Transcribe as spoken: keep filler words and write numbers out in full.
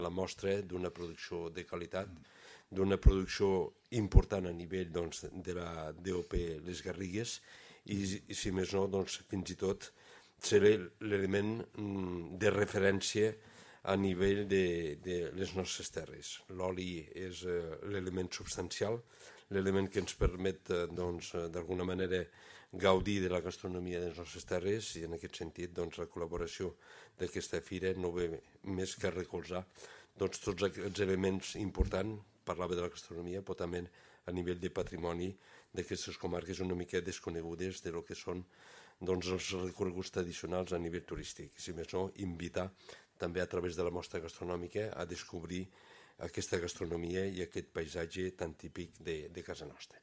la mostra d'una producció de qualitat, d'una producció important a nivell doncs, de la D O P Les Garrigues i, i si més no, doncs, fins i tot ser l'element de referència a nivell de, de les nostres terres. L'oli és eh, l'element substancial, l'element que ens permet eh, doncs, d'alguna manera gaudir de la gastronomia de les nostres terres i en aquest sentit doncs, la col·laboració d'aquesta fira no ve més que recolzar doncs, tots aquests elements importants. Parlava de la gastronomia, però també a nivell de patrimoni d'aquestes comarques una mica desconegudes de lo que són doncs, els recorreguts tradicionals a nivell turístic. Si més no, invitar també a través de la mostra gastronòmica a descobrir aquesta gastronomia i aquest paisatge tan típic de, de casa nostra.